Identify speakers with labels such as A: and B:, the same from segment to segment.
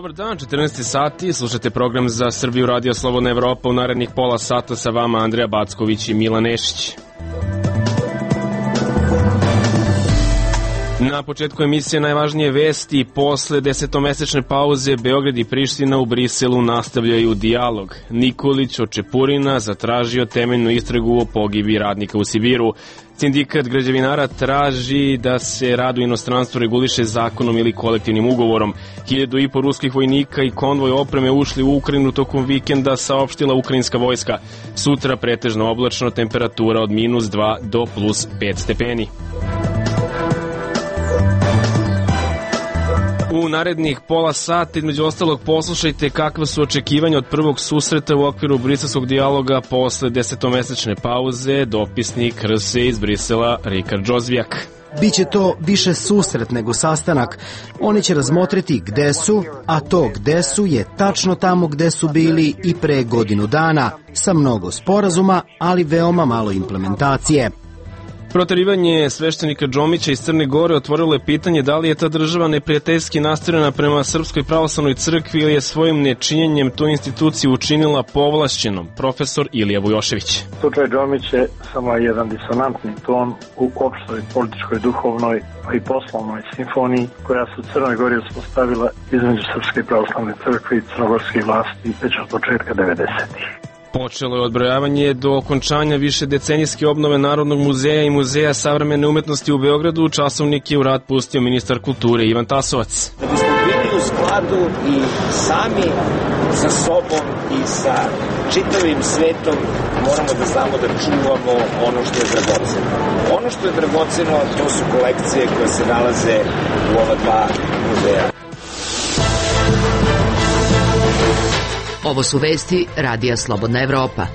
A: Dobar dan, 14 sati, slušate program za Srbiju Radio Slobodna Evropa. U narednih pola sata sa vama Andreja Backović i Milan Nešić. Na početku emisije najvažnije vesti. Posle 10-mesečne pauze Beograd i Priština u Briselu nastavljaju dijalog. Nikolić od Čepurina zatražio temeljnu istragu o pogibi radnika u Sibiru. Sindikat građevinara traži da se rad u inostranstvu reguliše zakonom ili kolektivnim ugovorom. 1.500 ruskih vojnika i konvoj opreme ušli u Ukrajinu tokom vikenda, saopštila ukrajinska vojska. Sutra pretežno oblačno, temperatura od -2 do +5 stepeni. U narednih pola sata, između ostalog, poslušajte kakve su očekivanja od prvog susreta u okviru briselskog dijaloga posle 10-mesečne pauze. Dopisnik RS iz Brisela Rikard Džozvijak.
B: Biće to više susret nego sastanak. Oni će razmotriti gde su, a to gde su je tačno tamo gde su bili i pre godinu dana, sa mnogo sporazuma, ali veoma malo implementacije.
A: Proterivanje sveštenika Džomića iz Crne Gore otvorilo je pitanje da li je ta država neprijateljski nastrojena prema Srpskoj pravoslavnoj crkvi ili je svojim nečinjenjem tu instituciju učinila povlašćenom. Profesor Ilija Vujošević.
C: Slučaj Džomić je samo jedan disonantni ton u opštoj političkoj, duhovnoj pa i poslovnoj simfoniji koja se u Crnoj Gori uspostavila između Srpske pravoslavne crkve i crnogorskih vlasti već od početka 90-ih.
A: Počelo je odbrojavanje do okončanja višedecenijske obnove Narodnog muzeja i Muzeja savremene umetnosti u Beogradu. Časovnik je u rad pustio ministar kulture Ivan Tasovac.
D: Da bismo bili u skladu i sami sa sobom i sa čitavim svetom, moramo da znamo da čuvamo ono što je dragoceno. Ono što je dragoceno, to su kolekcije koje se nalaze u ova dva muzeja.
E: Ovo su vesti Radija Slobodna Evropa.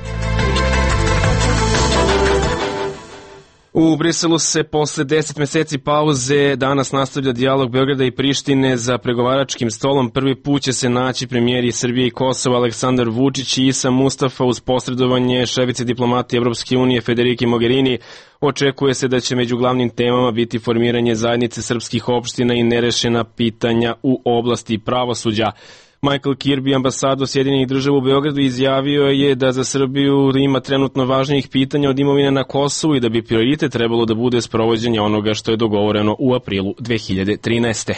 A: U Briselu se posle 10 meseci pauze danas nastavlja dijalog Beograda i Prištine za pregovaračkim stolom. Prvi put će se naći premijeri Srbije i Kosova Aleksandar Vučić i Isa Mustafa uz posredovanje šefice diplomatije Evropske unije Federike Mogherini. Očekuje se da će među glavnim temama biti formiranje zajednice srpskih opština i nerešena pitanja u oblasti pravosuđa. Michael Kirby, ambasador Sjedinjenih Država u Beogradu, izjavio je da za Srbiju ima trenutno važnijih pitanja od imovine na Kosovu i da bi prioritet trebalo da bude sprovođenje onoga što je dogovoreno u aprilu 2013.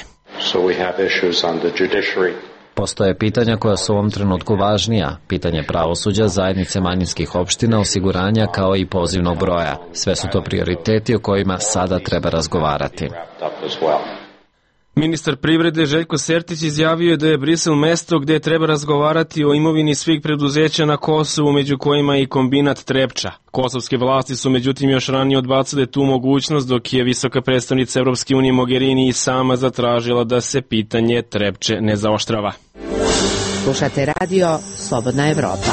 F: Postoje pitanja koja su u ovom trenutku važnija, pitanje pravosuđa, zajednice manjinskih opština, osiguranja kao i pozivnog broja. Sve su to prioriteti o kojima sada treba razgovarati.
A: Ministar privrede Željko Sertić izjavio je da je Brisel mesto gde treba razgovarati o imovini svih preduzeća na Kosovu, među kojima i kombinat Trepča. Kosovske vlasti su međutim još ranije odbacile tu mogućnost, dok je visoka predstavnica Evropske unije Mogherini i sama zatražila da se pitanje Trepče ne zaoštrava.
E: Slušate Radio Slobodna Evropa.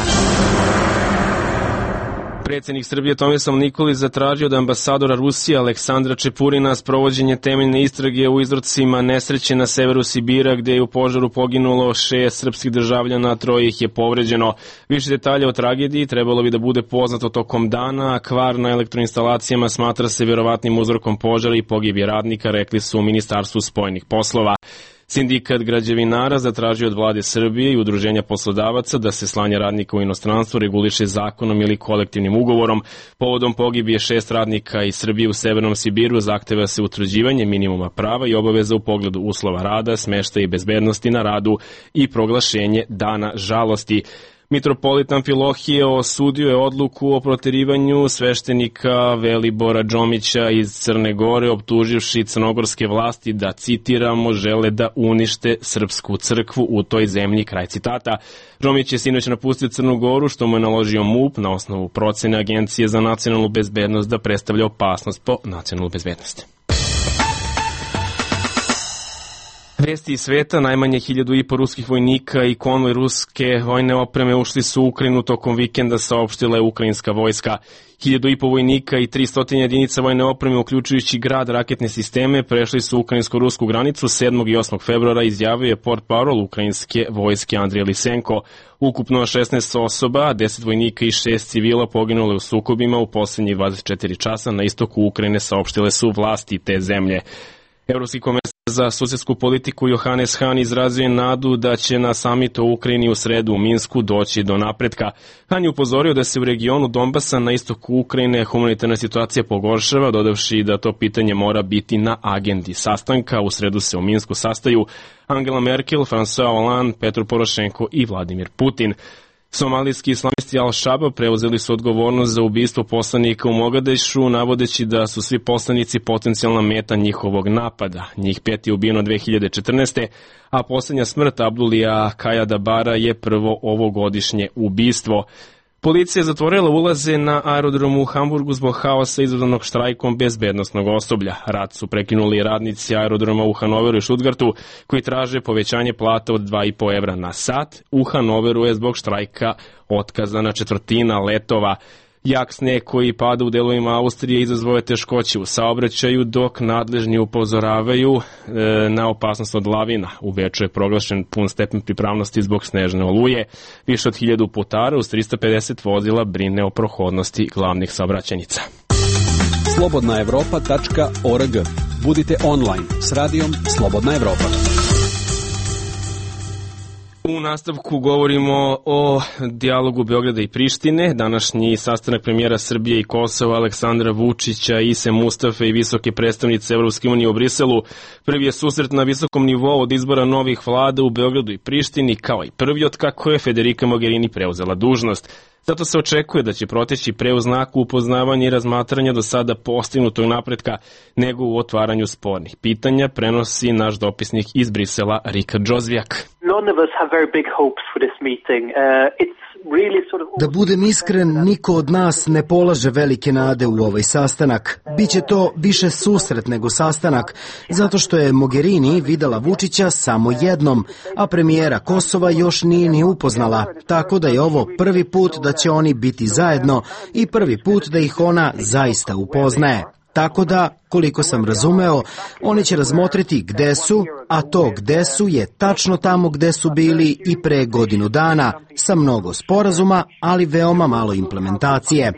A: Predsjednik Srbije Tomislav Nikolić zatražio da ambasadora Rusije Aleksandra Čepurina sprovođenje temeljne istrage u izrocima nesreće na severu Sibira, gde je u požaru poginulo 6 srpskih državljana, a 3 ih je povređeno. Više detalja o tragediji trebalo bi da bude poznato tokom dana, a kvar na elektroinstalacijama smatra se vjerovatnim uzrokom požara i pogibije radnika, rekli su u Ministarstvu spoljnih poslova. Sindikat građevinara zatražio od vlade Srbije i udruženja poslodavaca da se slanje radnika u inostranstvo reguliše zakonom ili kolektivnim ugovorom. Povodom pogibije 6 radnika iz Srbije u Severnom Sibiru zahteva se utvrđivanje minimuma prava i obaveza u pogledu uslova rada, smeštaja i bezbednosti na radu i proglašenje dana žalosti. Mitropolit Amfilohije osudio je odluku o proterivanju sveštenika Velibora Džomića iz Crne Gore, optuživši crnogorske vlasti da, citiramo, žele da unište srpsku crkvu u toj zemlji, kraj citata. Džomić je sinoć napustio Crnu Goru, što mu je naložio MUP na osnovu procene Agencije za nacionalnu bezbednost da predstavlja opasnost po nacionalnu bezbednost. Vesti iz sveta, najmanje 1.500 ruskih vojnika i konvoj ruske vojne opreme ušli su u Ukrajinu tokom vikenda, saopštila je ukrajinska vojska. 1.500 vojnika i 300 jedinica vojne opreme, uključujući grad, raketne sisteme, prešli su ukrajinsko-rusku granicu 7. i 8. februara, izjavio je portparol ukrajinske vojske Andrij Lisenko. Ukupno 16 osoba, 10 vojnika i 6 civila poginule u sukobima u poslednjih 24 časa na istoku Ukrajine, saopštile su vlasti te zemlje. Evropski komesar za susedsku politiku Johannes Hahn izrazio je nadu da će na samitu u Ukrajini u sredu u Minsku doći do napretka. Hahn je upozorio da se u regionu Donbasa na istoku Ukrajine humanitarna situacija pogoršava, dodavši da to pitanje mora biti na agendi sastanka. U sredu se u Minsku sastaju Angela Merkel, François Hollande, Petro Porošenko i Vladimir Putin. Somalijski islamisti Al-Shabaab preuzeli su odgovornost za ubistvo poslanika u Mogadešu, navodeći da su svi poslanici potencijalna meta njihovog napada. Njih 5 je ubijeno 2014. a posljednja smrt Abdulija Kajadabara je prvo ovogodišnje ubistvo. Policija je zatvorila ulaze na aerodromu u Hamburgu zbog haosa izazvanog štrajkom bezbednosnog osoblja. Rad su prekinuli radnici aerodroma u Hanoveru i Stuttgartu koji traže povećanje plata od 2,5 evra na sat. U Hanoveru je zbog štrajka otkazana četvrtina letova. Jak sneg koji pada u delovima Austrije izazvao je teškoće u saobraćaju, dok nadležni upozoravaju na opasnost od lavina. U Beču je proglašen pun stepen pripravnosti zbog snežne oluje. Više od 1000 putara uz 350 vozila brine o prohodnosti glavnih saobraćajnica.
G: slobodnaevropa.org. Budite online s radijom Slobodna Evropa.
A: U nastavku govorimo o dijalogu Beograda i Prištine. Današnji sastanak premijera Srbije i Kosova Aleksandra Vučića, Ise Mustafe i visoke predstavnice Evropske unije u Briselu prvi je susret na visokom nivou od izbora novih vlada u Beogradu i Prištini, kao i prvi od kako je Federica Mogherini preuzela dužnost. Zato se očekuje da će proteći pre u znaku upoznavanja i razmatranja do sada postignutog napretka nego u otvaranju spornih pitanja, prenosi naš dopisnik iz Brisela Rika Džozvijak.
B: Da budem iskren, niko od nas ne polaže velike nade u ovaj sastanak. Biće to više susret nego sastanak, zato što je Mogherini videla Vučića samo jednom, a premijera Kosova još nije ni upoznala, tako da je ovo prvi put da će oni biti zajedno i prvi put da ih ona zaista upoznaje. Tako da, koliko sam razumeo, oni će razmotriti gde su, a to gde su je tačno tamo gde su bili i pre godinu dana, sa mnogo sporazuma, ali veoma malo implementacije.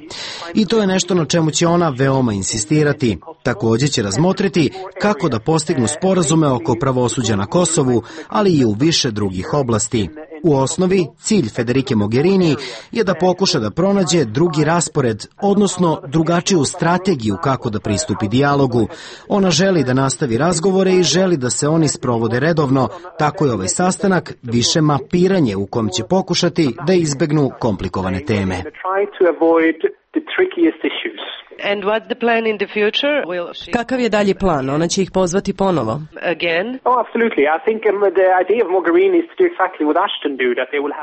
B: I to je nešto na čemu će ona veoma insistirati. Također će razmotriti kako da postignu sporazume oko pravosuđa na Kosovu, ali i u više drugih oblasti. U osnovi, cilj Federike Mogherini je da pokuša da pronađe drugi raspored, odnosno drugačiju strategiju kako da pristupi dijalogu. Ona želi da nastavi razgovore i želi da se oni sprovode redovno, tako je ovaj sastanak više mapiranje u kom će pokušati da izbegnu komplikovane teme.
H: Kakav je dalji plan? Ona će ih pozvati ponovo.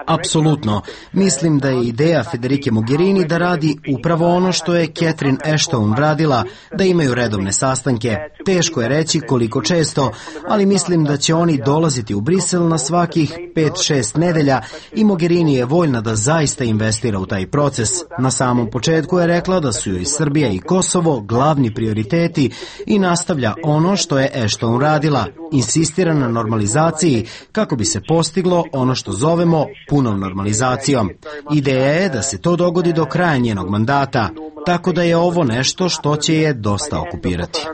B: Apsolutno. Mislim da je ideja Federike Mogherini da radi upravo ono što je Catherine Ashton radila, da imaju redovne sastanke. Teško je reći koliko često, ali mislim da će oni dolaziti u Brisel na svakih 5-6 nedelja i Mogherini je voljna da zaista investira u taj proces. Na samom početku je rekla da su joj Srbija i Kosovo glavni prioriteti i nastavlja ono što je Ashton radila, insistira na normalizaciji kako bi se postiglo ono što zovemo punom normalizacijom. Ideja je da se to dogodi do kraja njenog mandata, tako da je ovo nešto što će je dosta okupirati.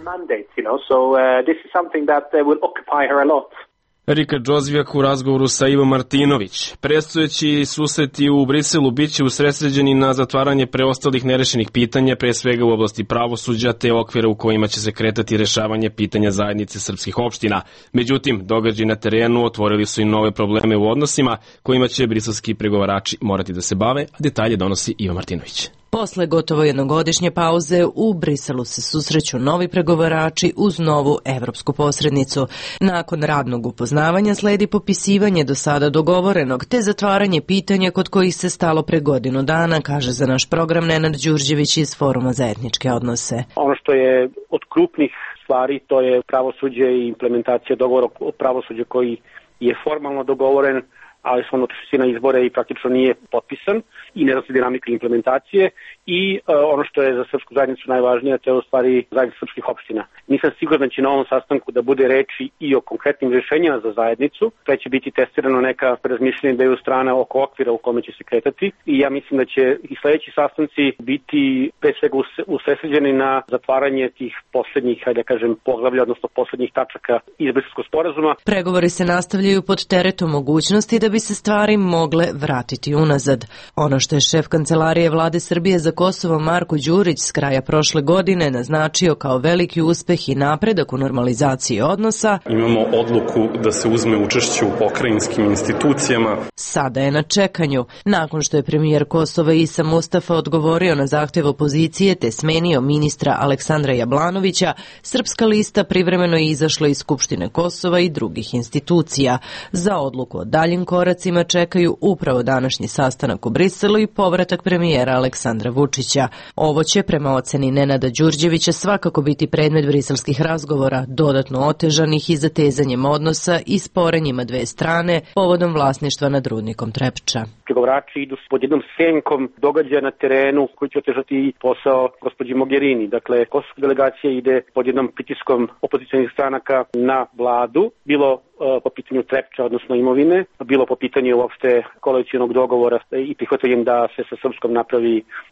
A: Rika Džozvijak u razgovoru sa Ivo Martinović. Predstojeći susreti u Briselu biće usredsređeni na zatvaranje preostalih nerešenih pitanja, pre svega u oblasti pravosuđa, te okvira u kojima će se kretati rešavanje pitanja zajednice srpskih opština. Međutim, događaji na terenu otvorili su i nove probleme u odnosima kojima će briselski pregovarači morati da se bave, a detalje donosi Ivo Martinović.
H: Posle gotovo jednogodišnje pauze u Briselu se susreću novi pregovarači uz novu evropsku posrednicu. Nakon radnog upoznavanja sledi popisivanje do sada dogovorenog, te zatvaranje pitanja kod kojih se stalo pre godinu dana, kaže za naš program Nenad Đurđević iz Foruma za etničke odnose.
I: Ono što je od krupnih stvari, to je pravosuđe i implementacija dogovora o pravosuđu koji je formalno dogovoren. ali smo otišli na izbore i praktično nije potpisan i ne zna se dinamika implementacije i ono što je za srpsku zajednicu najvažnije, to je u stvari zajednica srpskih opština. Nisam siguran da će na ovom sastanku da bude reči i o konkretnim rješenjima za zajednicu, pre će biti testirano neka razmišljenja dveju strana oko okvira u kome će se kretati i ja mislim da će i sledeći sastanci biti pre svega usredsređeni na zatvaranje tih poslednjih, hajde da kažem, poglavlja, odnosno poslednjih tačaka iz Briselskog sporazuma.
H: Pregovori se nastavljaju pod teretom mogućnosti da bi se stvari mogle vratiti unazad. Ono što je šef Kancelarije Vlade Srbije za Kosovo Marko Đurić s kraja prošle godine naznačio kao veliki uspeh i napredak u normalizaciji odnosa.
J: Imamo odluku da se uzme učešće u pokrajinskim institucijama.
H: Sada je na čekanju. Nakon što je premijer Kosova Isa Mustafa odgovorio na zahtev opozicije te smenio ministra Aleksandra Jablanovića, Srpska lista privremeno je izašla iz Skupštine Kosova i drugih institucija. Za odluku o daljim koracima čekaju upravo današnji sastanak u Briselu i povratak premijera Aleksandra Vučića. Ovo će, prema oceni Nenada Đurđevića, svakako biti predmet briselskih razgovora, dodatno otežanih i zatezanjem odnosa i sporenjima dve strane povodom vlasništva nad rudnikom Trepča.
I: Pregovarači idu pod jednom senkom događaja na terenu koji će otežati posao gospođi Mogherini. Dakle, kosovska delegacija ide pod jednom pritiskom opozicionih stranaka na vladu, bilo po pitanju Trepča, odnosno imovine, bilo po pitanju uopšte koalicionog dogovora i prihvatanjem da se sa Srpskom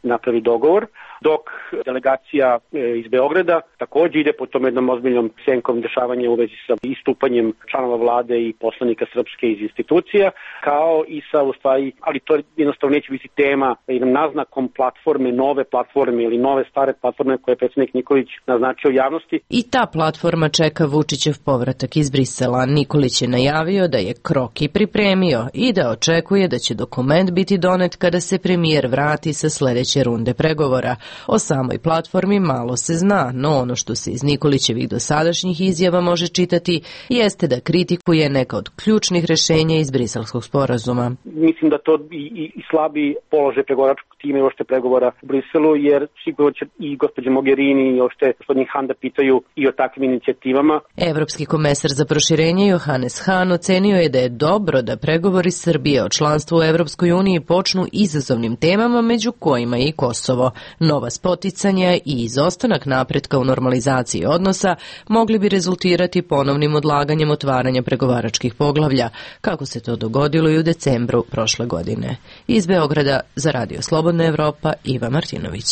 I: napravi dogovor, dok delegacija iz Beograda takođe ide po tom jednom ozbiljnom senkom dešavanja u vezi sa istupanjem članova vlade i poslanika Srpske iz institucija, kao i sa, u stvari, ali to jednostavno neće biti tema, jednom naznakom platforme, nove platforme ili nove stare platforme koje je predsjednik Nikolić naznačio javnosti.
H: I ta platforma čeka Vučićev povratak iz Brisela. Nikolić je najavio da je kroki pripremio i da očekuje da će dokument biti donet kada se premijer vrati sa sledeće runde pregovora. O samoj platformi malo se zna, no ono što se iz Nikolićevih dosadašnjih izjava može čitati jeste da kritikuje neka od ključnih rešenja iz Briselskog sporazuma.
I: Mislim da to i slabi položaj pregovaračkog tima i ošte pregovora u Briselu, jer sigurno će i gospođa Mogherini i ošte gospodin Han da pitaju i o takvim inicijativama.
H: Evropski komesar za proširenje Johannes Hahn ocenio je da je dobro da pregovori Srbije o članstvu u Evropskoj uniji počnu izazovnim temama, među kojima je i Kosovo. Nova spoticanja i izostanak napretka u normalizaciji odnosa mogli bi rezultirati ponovnim odlaganjem otvaranja pregovaračkih poglavlja, kako se to dogodilo i u decembru prošle godine. Iz Beograda za Radio Slobodna Evropa, Iva Martinović.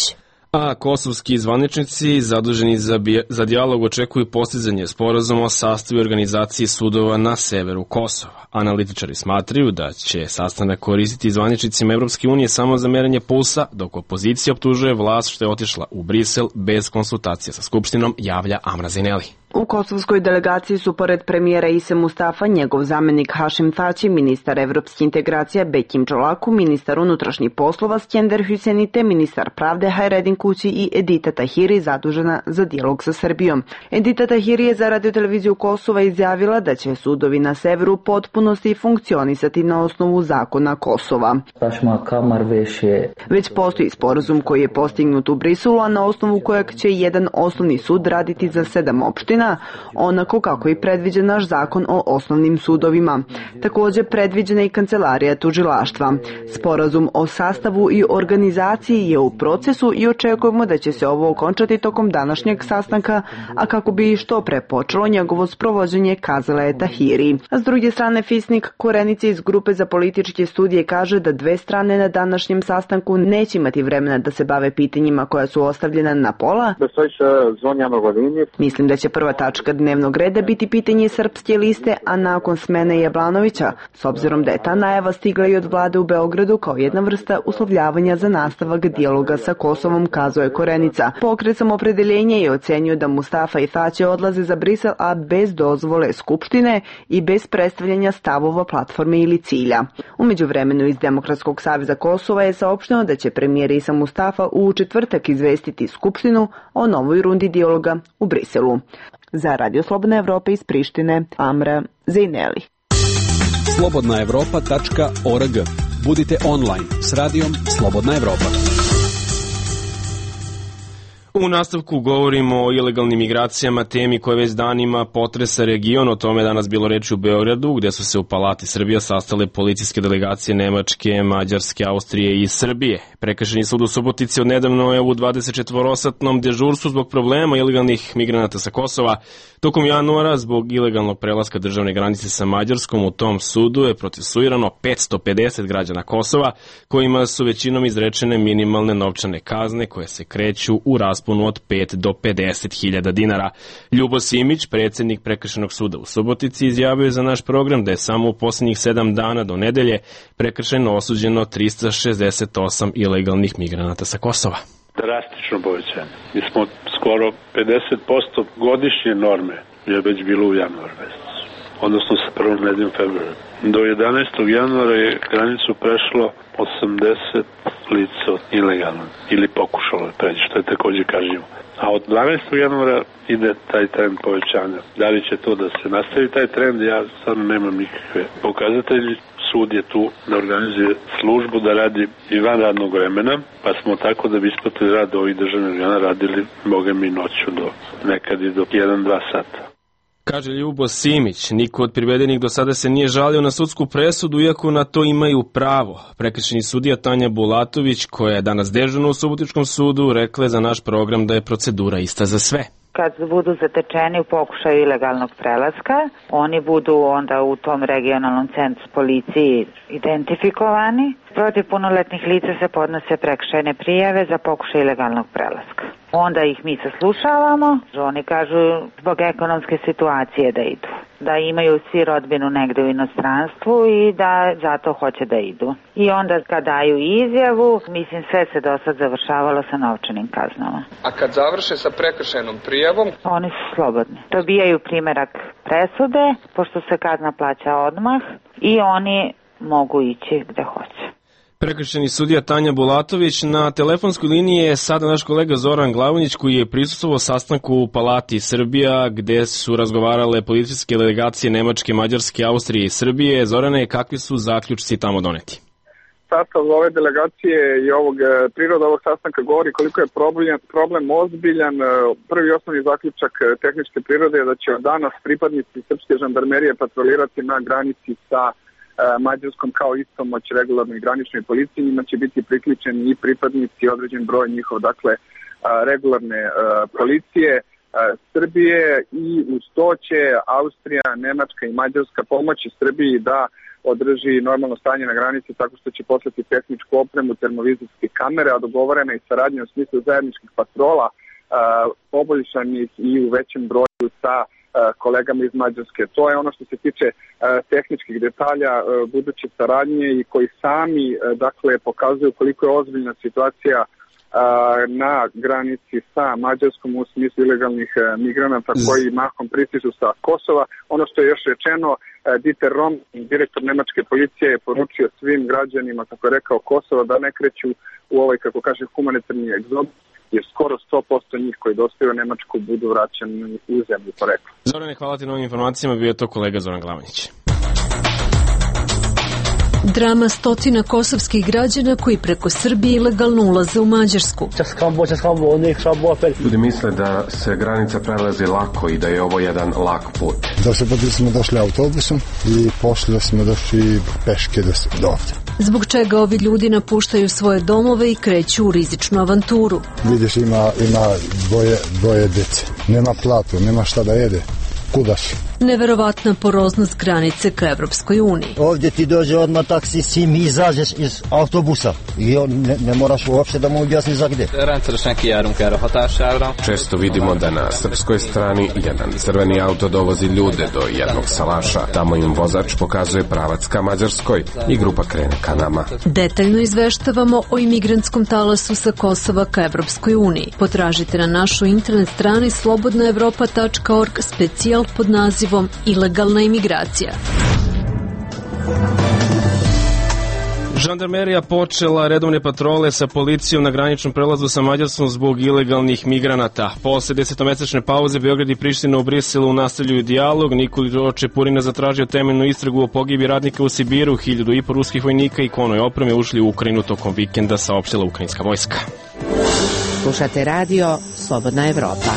A: A kosovski zvaničnici zaduženi za dijalog očekuju postizanje sporazuma o sastavu i organizaciji sudova na severu Kosova. Analitičari smatraju da će sastanak koristiti zvaničnicima Evropske unije samo za merenje pulsa, dok opozicija optužuje vlast što je otišla u Brisel bez konsultacija sa Skupštinom, javlja Amra Zineli.
K: U kosovskoj delegaciji su pored premijera Ise Mustafa, njegov zamenik Hašim Tači, ministar evropskih integracija Bekim Čolaku, ministar unutrašnjih poslova Skender Hüseni te ministar pravde Hajredin Kući i Edita Tahiri zadužena za dijalog sa Srbijom. Edita Tahiri je za radioteleviziju Kosova izjavila da će sudovi na severu potpunosti funkcionisati na osnovu zakona Kosova. Već postoji sporazum koji je postignut u Briselu, a na osnovu kojeg će jedan osnovni sud raditi za 7 opština, onako kako je predviđen naš zakon o osnovnim sudovima. Također predviđena i kancelarija tužilaštva. Sporazum o sastavu i organizaciji je u procesu i očekujemo da će se ovo okončati tokom današnjeg sastanka, a kako bi što pre počelo njegovo sprovođenje, kazala je Tahiri. A s druge strane, Fisnik Korenice iz grupe za političke studije kaže da dve strane na današnjem sastanku neće imati vremena da se bave pitanjima koja su ostavljena na pola. Mislim da će prva tačka dnevnog reda biti pitanje Srpske liste, a nakon smene Jablanovića, s obzirom da je ta najava stigla i od vlade u Beogradu kao jedna vrsta uslovljavanja za nastavak dijaloga sa Kosovom, kazao je Korenica. Pokret Samoopredeljenje je ocenio da Mustafa i Tači odlaze za Brisel, a bez dozvole Skupštine i bez predstavljanja stavova, platforme ili cilja. U međuvremenu iz Demokratskog saveza Kosova je saopšteno da će premijer Isa Mustafa u četvrtak izvestiti Skupštinu o novoj rundi dijaloga u Briselu. Za Radio Slobodna Evropa iz Prištine, Amra Zineli.
G: slobodnaevropa.org. Budite online s radijom Slobodna Evropa.
A: U nastavku govorimo o ilegalnim migracijama, temi koja već danima potresa region. O tome je danas bilo reči u Beogradu, gde su se u Palati Srbija sastale policijske delegacije Nemačke, Mađarske, Austrije i Srbije. Prekršajni sud u Subotici odnedavno je u 24-satnom dežurstvu zbog problema ilegalnih migranata sa Kosova. Tokom januara, zbog ilegalnog prelaska državne granice sa Mađarskom, u tom sudu je procesuirano 550 građana Kosova, kojima su većinom izrečene minimalne novčane kazne koje se kreću u rasponu od 5 do 50.000 dinara. Ljubo Simić, predsjednik Prekršajnog suda u Subotici, izjavio je za naš program da je samo u posljednjih 7 dana do nedelje prekršajno osuđeno 368 ilegalnih migranata sa Kosova.
L: Drastično povećanje. Mi smo skoro 50% godišnje norme je već bilo u januaru mesecu, odnosno sa prvom nedeljom februara. Do 11. januara je granicu prešlo 80 lica ilegalno ili pokušalo da pređe, što je takođe kažnjivo. A od 12. januara ide taj trend povećanja. Da li će to da se nastavi taj trend, ja stvarno nemam nikakve pokazatelje. Sud je tu da organizuje službu da radi i van radnog vremena, pa smo tako da bi isplatili rad ovih državnih organa radili, boga mi, noću do nekad i do 1-2 sata.
A: Kaže Ljubo Simić, niko od privedenih do sada se nije žalio na sudsku presudu, iako na to imaju pravo. Prekršajni sudija Tanja Bulatović, koja je danas dežurna u Subotičkom sudu, rekla je za naš program da je procedura ista za sve.
M: Kad budu zatečeni u pokušaju ilegalnog prelaska, oni budu onda u tom regionalnom centru policiji identifikovani. Protiv punoletnih lica se podnose prekršajne prijave za pokušaj ilegalnog prelaska. Onda ih mi saslušavamo, oni kažu zbog ekonomske situacije da idu, da imaju svi rodbinu negde u inostranstvu i da zato hoće da idu. I onda kad daju izjavu, mislim sve se do sad završavalo sa novčanim kaznama.
N: A kad završe sa prekršajnom prijavom?
M: Oni su slobodni. Dobijaju primerak presude, pošto se kazna plaća odmah i oni mogu ići gde hoće.
A: Prekršajni sudija Tanja Bulatović. Na telefonskoj liniji je sada naš kolega Zoran Glavonjić, koji je prisustvovao sastanku u Palati Srbija, gde su razgovarale policijske delegacije Nemačke, Mađarske, Austrije i Srbije. Zorane, kakvi su zaključci tamo doneti?
O: Sastav ove delegacije i priroda ovog sastanka govori koliko je problem ozbiljan. Prvi osnovni zaključak tehničke prirode je da će od danas pripadnici srpske žandarmerije patrolirati na granici sa Mađarskom kao istomoć regularnoj graničnoj policiji. Njima će biti priključeni i pripadnici, određen broj njihov, dakle, regularne policije Srbije, i uz to će Austrija, Nemačka i Mađarska pomoći Srbiji da održi normalno stanje na granici tako što će poslati tehničku opremu, termovizijske kamere, a dogovorena i saradnja u smislu zajedničkih patrola poboljšanih i u većem broju sa kolegama iz Mađarske. To je ono što se tiče tehničkih detalja buduće saradnje i koji sami, dakle, pokazuju koliko je ozbiljna situacija na granici sa Mađarskom u smislu ilegalnih migranata koji mahom pristižu sa Kosova. Ono što je još rečeno, Dieter Rom, direktor nemačke policije, je poručio svim građanima, kako je rekao, Kosova da ne kreću u ovaj, kako kaže, humanitarni egzod, jer skoro 100% njih koji dostaju u Nemačku budu vraćani u zemlju porekla.
A: Zorane, hvala ti na ovim informacijama, bio je to kolega Zoran Glavonjić.
P: Drama stotina kosovskih građana koji preko Srbije ilegalno ulaze u Mađarsku.
Q: Ljudi misle da se granica prelazi lako i da je ovo jedan lak put.
R: Smo došli autobusom i poslije smo došli peške do ovdje.
P: Zbog čega ovi ljudi napuštaju svoje domove i kreću u rizičnu avanturu.
R: Vidiš, ima dvoje djece. Nema platu, nema šta da jede. Kuda si?
P: Neverovatna poroznost granice ka Evropskoj uniji.
S: Ovdje ti dođe odmah taksi, sim, izađeš iz autobusa i ne moraš uopšte da mu objasni za gde.
Q: Često vidimo da na srpskoj strani jedan crveni auto dovozi ljude do jednog salaša. Tamo im vozač pokazuje pravac ka Mađarskoj i grupa krene ka nama.
P: Detaljno izveštavamo o imigrantskom talasu sa Kosova ka Evropskoj uniji. Potražite na našoj internet strani slobodnaevropa.org specijal pod nazivom Ilegalna imigracija.
A: Žandarmerija počela redovne patrole sa policijom na graničnom prelazu sa Mađarskom zbog ilegalnih migranata. Posle 10-mesečne pauze Beograd i Priština u Briselu nastavljaju dijalog. Nikolaj Čepurina zatražio temeljnu istragu o pogibi radnika u Sibiru. 1.500 ruskih vojnika i konoj opreme ušli u Ukrajinu tokom vikenda, saopštila ukrajinska vojska.
E: Slušate radio Slobodna Evropa.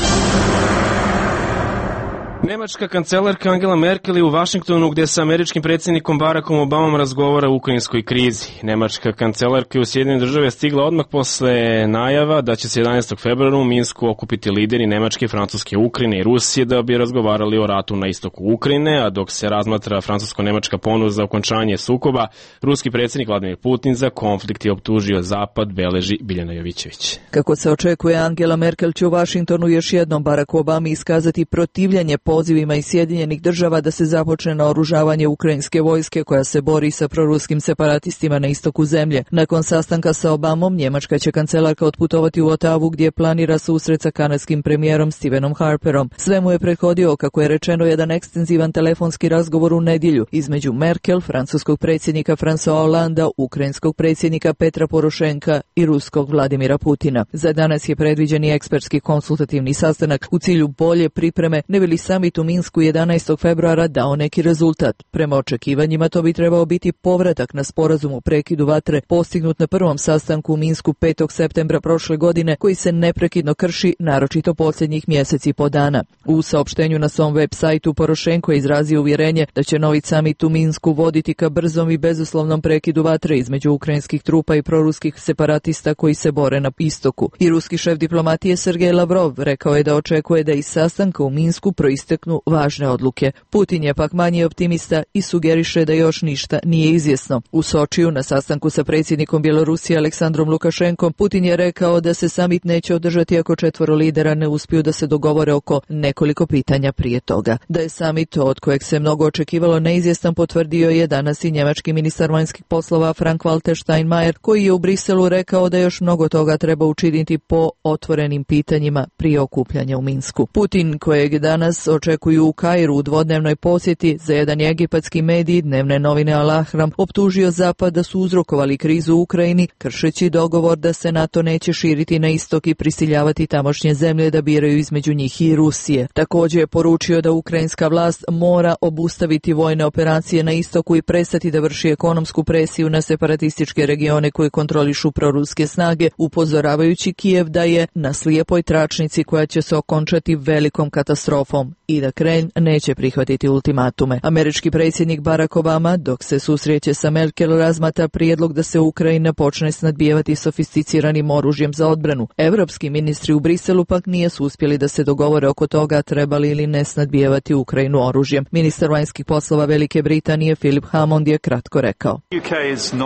A: Nemačka kancelarka Angela Merkel je u Vašingtonu gde sa američkim predsjednikom Barackom Obamom razgovara o ukrajinskoj krizi. Nemačka kancelarka je u Sjedinjene Države stigla odmah posle najava da će se 11. februara u Minsku okupiti lideri Nemačke, Francuske, Ukrajine i Rusije da bi razgovarali o ratu na istoku Ukrajine, a dok se razmatra francusko-nemačka ponuda za okončanje sukoba, ruski predsjednik Vladimir Putin za konflikt je optužio Zapad, beleži Biljana Jovićević.
T: Kako se očekuje, Angela Merkel će u Vašingtonu još jednom Baracku Obami iskazati protivljenje pozivima iz Sjedinjenih Država da se započne naoružavanje ukrajinske vojske koja se bori sa proruskim separatistima na istoku zemlje. Nakon sastanka sa Obamom, njemačka će kancelarka otputovati u Otavu gdje planira susret sa kanadskim premijerom Stephenom Harperom. Sve mu je prethodio, kako je rečeno, jedan ekstenzivan telefonski razgovor u nedjelju između Merkel, francuskog predsjednika François Hollanda, ukrajinskog predsjednika Petra Porošenka i ruskog Vladimira Putina. Za danas je predviđen i ekspertski konsultativni sastanak u cilju bolje pripreme, ne bi li summit u Minsku 11. februara dao neki rezultat. Prema očekivanjima to bi trebao biti povratak na sporazum o prekidu vatre postignut na prvom sastanku u Minsku 5. septembra prošle godine, koji se neprekidno krši, naročito posljednjih mjeseci i po dana. U saopštenju na svom web sajtu Porošenko je izrazio uvjerenje da će novi summit u Minsku voditi ka brzom i bezuslovnom prekidu vatre između ukrajinskih trupa i proruskih separatista koji se bore na istoku. I ruski šef diplomatije Sergej Lavrov rekao je da očekuje da iz sastanka u Minsku proisteknu važne odluke. Putin je pak manje optimista i sugeriše da još ništa nije izvjesno. U Sočiju na sastanku sa predsjednikom Bjelorusije Aleksandrom Lukašenkom, Putin je rekao da se summit neće održati ako 4 lidera ne uspiju da se dogovore oko nekoliko pitanja prije toga. Da je summit, od kojeg se mnogo očekivalo, neizvjestan, potvrdio je danas i njemački ministar vanjskih poslova Frank-Walter Steinmeier, koji je u Briselu rekao da još mnogo toga treba učiniti po otvorenim pitanjima prije okupljanja u Minsku. Putin, kojeg danas očekuju u Kairu u dvodnevnoj posjeti, za jedan egipatski medij, dnevne novine Al Ahram, optužio Zapad da su uzrokovali krizu u Ukrajini, kršeći dogovor da se NATO neće širiti na istok i prisiljavati tamošnje zemlje da biraju između njih i Rusije. Također je poručio da ukrajinska vlast mora obustaviti vojne operacije na istoku i prestati da vrši ekonomsku presiju na separatističke regione koje kontrolišu proruske snage, upozoravajući Kijev da je na slijepoj tračnici koja će se okončati velikom katastrofom i da Kremlj neće prihvatiti ultimatume. Američki predsjednik Barack Obama, dok se susreće sa Merkel, razmatra prijedlog da se Ukrajina počne snadbijevati sofisticiranim oružjem za odbranu. Evropski ministri u Briselu pak nisu uspjeli da se dogovore oko toga trebali ili ne snadbijevati Ukrajinu oružjem. Ministar vanjskih poslova Velike Britanije Philip Hammond je kratko rekao: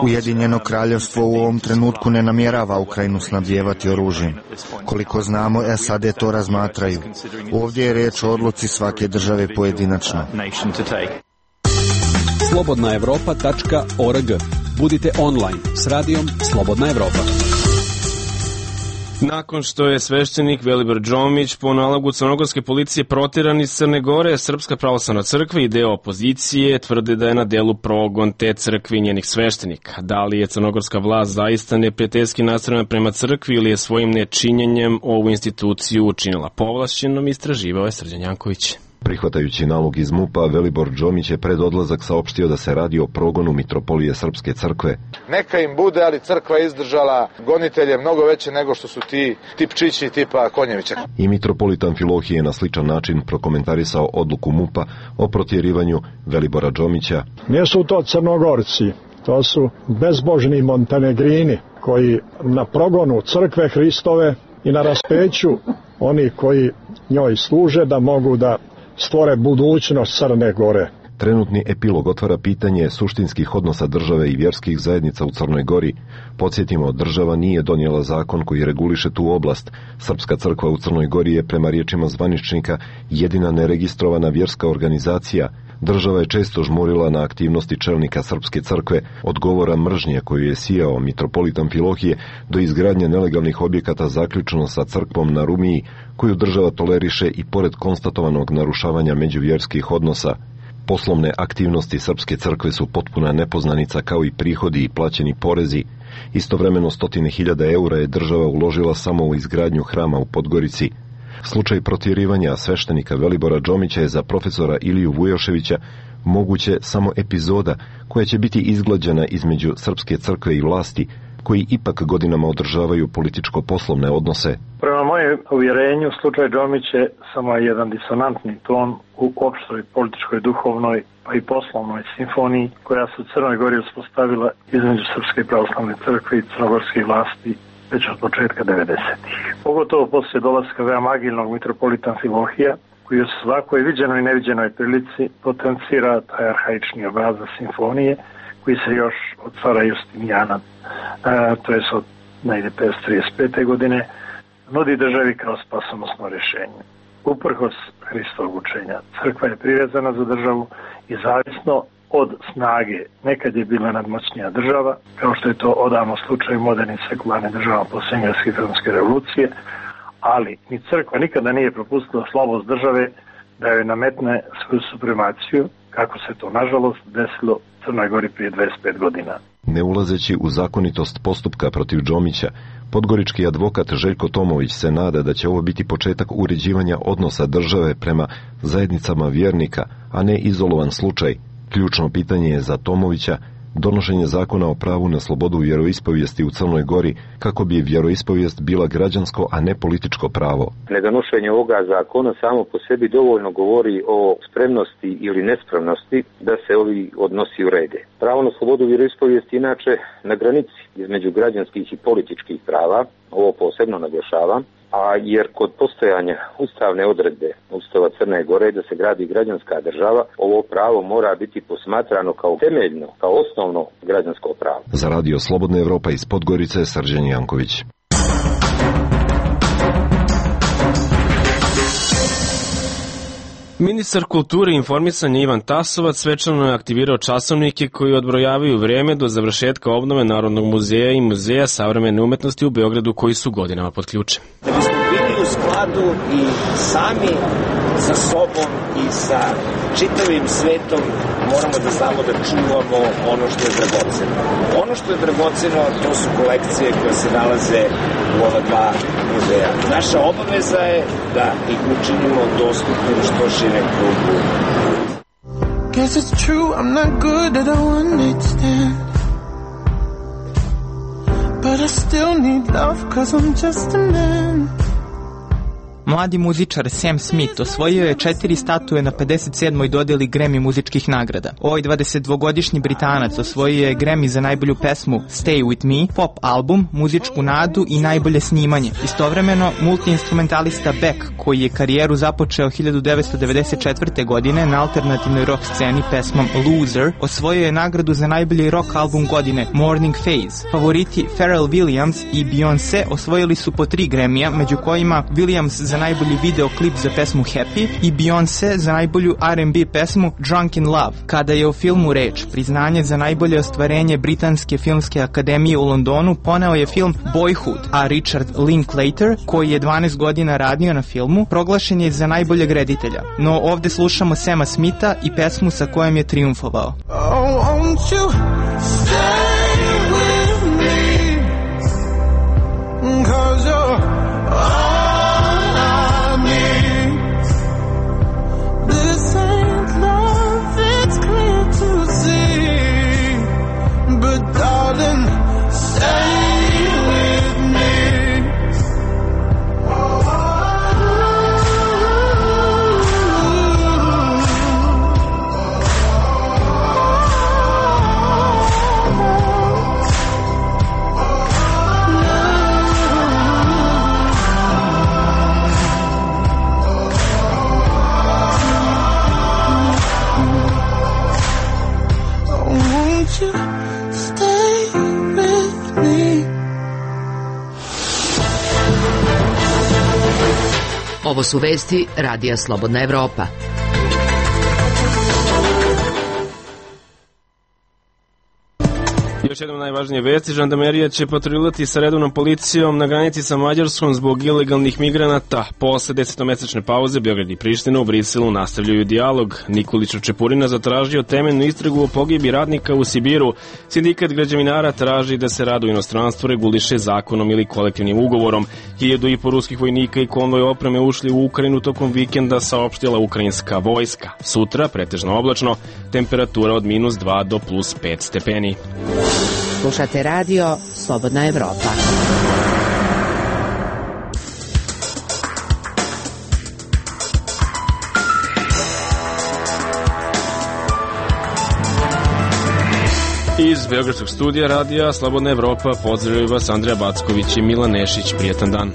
U: Ujedinjeno kraljevstvo u ovom trenutku ne namjerava Ukrajinu snabdijevati oružjem. Koliko znamo, SAD to razmatraju. Ovdje je riječ o odluci svake države pojedinačno.
G: slobodnaevropa.org. Budite online s radijom Slobodna Evropa.
A: Nakon što je sveštenik Velibor Džomić po nalogu crnogorske policije protjeran iz Crne Gore, Srpska pravoslavna crkva i deo opozicije tvrde da je na delu progon te crkve i njenih sveštenika. Da li je crnogorska vlast zaista neprijateljski nastrojena prema crkvi ili je svojim nečinjenjem ovu instituciju učinila povlašćenom, istraživao je Srđan Janković.
V: Prihvatajući nalog iz MUP-a, Velibor Džomić je pred odlazak saopštio da se radi o progonu mitropolije Srpske crkve.
W: Neka im bude, ali crkva izdržala gonitelje mnogo veće nego što su ti tipčići tipa Konjevića.
V: I mitropolit Amfilohije je na sličan način prokomentarisao odluku MUP-a o protjerivanju Velibora Džomića.
X: Nisu to Crnogorci, to su bezbožni Montenegrini koji na progonu crkve Hristove i na raspeću oni koji njoj služe da mogu da stvore budućnost Crne Gore.
V: Trenutni epilog otvara pitanje suštinskih odnosa države i vjerskih zajednica u Crnoj Gori. Podsjetimo, država nije donijela zakon koji reguliše tu oblast. Srpska crkva u Crnoj Gori je, prema riječima zvaničnika, jedina neregistrovana vjerska organizacija. Država je često žmurila na aktivnosti čelnika Srpske crkve, od govora mržnje koju je sijao mitropolit Amfilohije do izgradnje nelegalnih objekata zaključno sa crkvom na Rumiji, koju država toleriše i pored konstatovanog narušavanja međuvjerskih odnosa. Poslovne aktivnosti Srpske crkve su potpuna nepoznanica, kao i prihodi i plaćeni porezi. Istovremeno 100.000 eura je država uložila samo u izgradnju hrama u Podgorici. Slučaj protjerivanja sveštenika Velibora Džomića je za profesora Iliju Vujoševića moguće samo epizoda koja će biti izglađena između Srpske crkve i vlasti, koji ipak godinama održavaju političko-poslovne odnose.
B: Prema mojem uvjerenju, slučaj Džomić je samo jedan disonantni ton u opštoj političkoj, duhovnoj pa i poslovnoj simfoniji koja se u Crnoj Gori uspostavila između Srpske pravoslavne crkve i crnogorskih vlasti već od početka 90-ih. Pogotovo poslije dolaska veoma agilnog mitropolita Amfilohija, koji u svakoj viđenoj i neviđenoj prilici potencira taj arhaični obrazac simfonije koji se još od cara Justinijana, to je od negdje 535. godine, nudi državi kao spasonosno rješenje. Uprkos Hristovog učenja, crkva je privezana za državu i zavisno od snage. Nekad je bila nadmoćnija država, kao što je to odavno slučaj u modernim sekularnim državama poslije Engleske i Francuske revolucije, ali ni crkva nikada nije propustila slabost države da joj nametne svoju supremaciju, kako se to nažalost desilo u Crnoj Gori prije 25 godina.
V: Ne ulazeći u zakonitost postupka protiv Džomića, podgorički advokat Željko Tomović se nada da će ovo biti početak uređivanja odnosa države prema zajednicama vjernika, a ne izolovan slučaj. Ključno pitanje je za Tomovića donošenje zakona o pravu na slobodu vjeroispovijesti u Crnoj Gori kako bi vjeroispovijest bila građansko, a ne političko pravo.
C: Nedonošenje ovoga zakona samo po sebi dovoljno govori o spremnosti ili nespremnosti da se ovi odnosi urede. Pravo na slobodu vjeroispovijesti inače na granici između građanskih i političkih prava, ovo posebno naglašavam, jer kod postojanja ustavne odredbe Ustava Crne Gore da se gradi građanska država, ovo pravo mora biti posmatrano kao temeljno, kao osnovno građansko pravo.
V: Za Radio Slobodna Evropa iz Podgorice, Srđan Janković.
A: Ministar kulture i informisanja Ivan Tasovac svečano je aktivirao časovnike koji odbrojavaju vreme do završetka obnove Narodnog muzeja i Muzeja savremene umetnosti u Beogradu koji su godinama pod ključem.
D: Da bismo bili u skladu i sami sa sobom i sa čitavim svetom, moramo da znamo da čuvamo ono što je dragoceno. Ono što je dragoceno, to su kolekcije koje se nalaze u ova dva muzeja. Naša obaveza je da ih učinimo dostupnim što širem krugu. Guess it's true, I'm not good at a one night stand, but I still need love cause I'm just a man.
F: Mladi muzičar Sam Smith osvojio je 4 statue na 57. dodjeli Grammy muzičkih nagrada. Ovaj 22-godišnji Britanac osvojio je Grammy za najbolju pesmu Stay With Me, pop album, muzičku nadu i najbolje snimanje. Istovremeno, multiinstrumentalista Beck, koji je karijeru započeo 1994. godine na alternativnoj rock sceni pesmom Loser, osvojio je nagradu za najbolji rock album godine Morning Phase. Favoriti Pharrell Williams i Beyoncé osvojili su po 3 Grammyja, među kojima Williams za najbolji videoklip za pesmu Happy i Beyoncé za najbolju R&B pesmu Drunk in Love. Kada je o filmu reč, priznanje za najbolje ostvarenje Britanske filmske akademije u Londonu poneo je film Boyhood, a Richard Linklater, koji je 12 godina radio na filmu, proglašen je za najboljeg reditelja. No ovde slušamo Sama Smitha i pesmu sa kojom je triumfovao. Oh, won't you stay with me, 'cause you're
E: Ovo su vesti Radija Slobodna Evropa.
A: Još jednom najvažnije vesti, žandarmerija će patruljirati sa redovnom policijom na granici sa Mađarskom zbog ilegalnih migranata. Posle 10-mesečne pauze Beograd i Priština u Briselu nastavljaju dijalog. Nikolić Čepurina zatražio temeljnu istragu o pogibi radnika u Sibiru. Sindikat građevinara traži da se rad u inostranstvu reguliše zakonom ili kolektivnim ugovorom. 1.500 ruskih vojnika i konvoj opreme ušli u Ukrajinu tokom vikenda, saopštila ukrajinska vojska. Sutra pretežno oblačno, temperatura od -2 do +5 stepeni.
E: Slušate radio Slobodna Evropa.
A: Iz Beogradskog studija radija Slobodna Evropa pozdravljaju vas Andreja Backović i Milan Nešić. Prijetan dan.